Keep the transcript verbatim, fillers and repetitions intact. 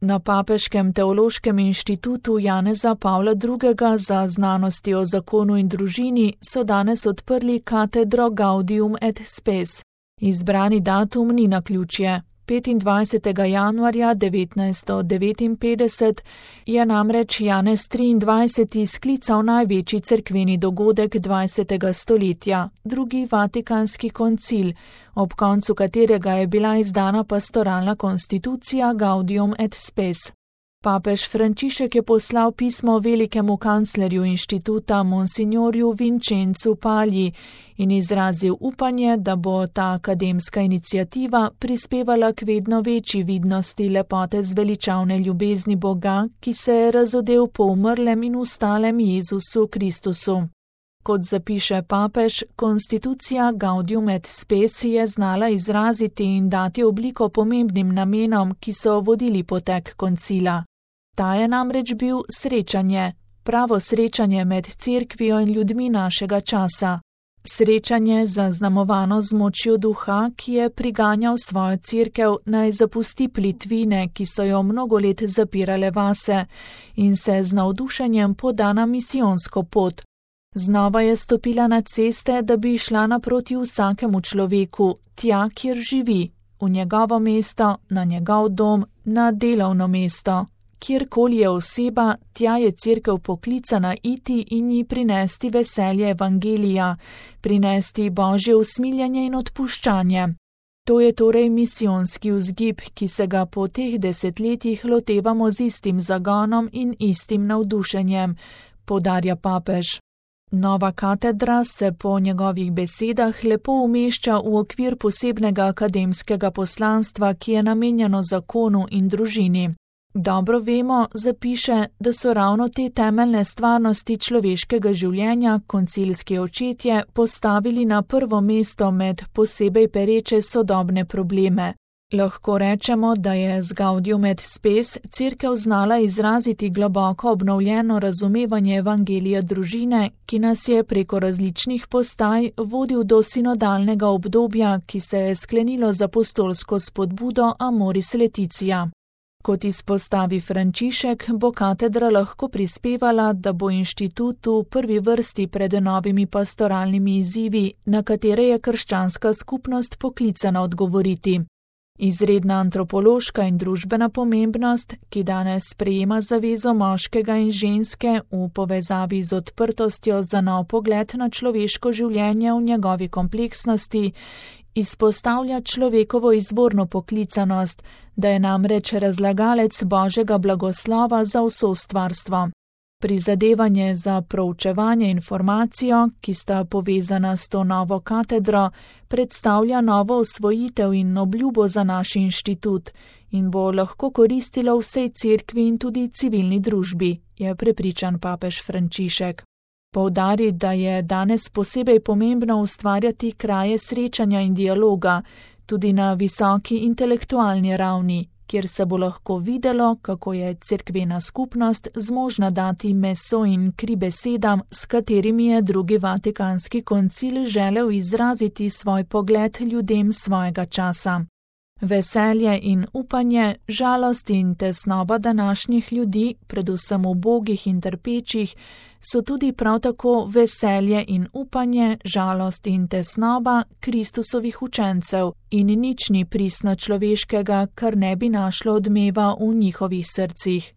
Na Papeškem teološkem inštitutu Janeza Pavla drugega za znanosti o zakonu in družini so danes odprli katedro Gaudium et Spes. Izbrani datum ni naključje. petindvajsetega januarja devetnajststo devetinpetdeset je namreč Janez triindvajseti sklical največji cerkveni dogodek dvajsetega stoletja, drugi Vatikanski koncil, ob koncu katerega je bila izdana pastoralna konstitucija Gaudium et Spes. Papež Frančišek je poslal pismo velikemu kanclerju inštituta monsignorju Vincenzu Pagli in izrazil upanje, da bo ta akademska iniciativa prispevala k vedno večji vidnosti lepote zveličavne ljubezni Boga, ki se je razodel po umrlem in ustalem Jezusu Kristusu. Kot zapiše papež, konstitucija Gaudium et Spes je znala izraziti in dati obliko pomembnim namenom, ki so vodili potek koncila. Ta je namreč bil srečanje, pravo srečanje med cerkvijo in ljudmi našega časa. Srečanje zaznamovano z močjo duha, ki je priganjal svojo cerkev naj zapusti plitvine, ki so jo mnogo let zapirale vase, in se z navdušenjem poda na misijonsko pot. Znova je stopila na ceste, da bi šla naproti vsakemu človeku, tja, kjer živi, v njegovo mesto, na njegov dom, na delovno mesto. Kjerkoli je oseba, tja je cerkev poklicana iti in ji prinesti veselje evangelija, prinesti Božje usmiljenje in odpuščanje. To je torej misijonski vzgib, ki se ga po teh desetletjih lotevamo z istim zagonom in istim navdušenjem, poudarja papež. Nova katedra se po njegovih besedah lepo umešča v okvir posebnega akademskega poslanstva, ki je namenjeno zakonu in družini. Dobro vemo, zapiše, da so ravno te temeljne stvarnosti človeškega življenja koncilski očetje postavili na prvo mesto med posebej pereče sodobne probleme. Lahko rečemo, da je z Gaudium et Spes cerkev znala izraziti globoko obnovljeno razumevanje evangelija družine, ki nas je preko različnih postaj vodil do sinodalnega obdobja, ki se je sklenilo z apostolsko spodbudo Amoris Laetitia. Kot izpostavi Frančišek, bo katedra lahko prispevala, da bo inštitut v prvi vrsti pred novimi pastoralnimi izzivi, na katere je krščanska skupnost poklicana odgovoriti. Izredna antropološka in družbena pomembnost, ki danes sprejema zavezo moškega in ženske v povezavi z odprtostjo za nov pogled na človeško življenje v njegovi kompleksnosti, izpostavlja človekovo izvorno poklicanost, da je namreč razlagalec Božjega blagoslova za vso stvarstvo. Prizadevanje za proučevanje informacijo, ki sta povezana s to novo katedro, predstavlja novo osvojitev in obljubo za naš inštitut in bo lahko koristilo vsej cerkvi in tudi civilni družbi, je prepričan papež Frančišek. Poudari, da je danes posebej pomembno ustvarjati kraje srečanja in dialoga, tudi na visoki intelektualni ravni, kjer se bo lahko videlo, kako je cerkvena skupnost zmožna dati meso in kri besedam, s katerimi je drugi Vatikanski koncil želel izraziti svoj pogled ljudem svojega časa. Veselje in upanje, žalost in tesnoba današnjih ljudi, predvsem ubogih in trpečih, so tudi prav tako veselje in upanje, žalost in tesnoba Kristusovih učencev in nič ni pristno človeškega, kar ne bi našlo odmeva v njihovih srcih.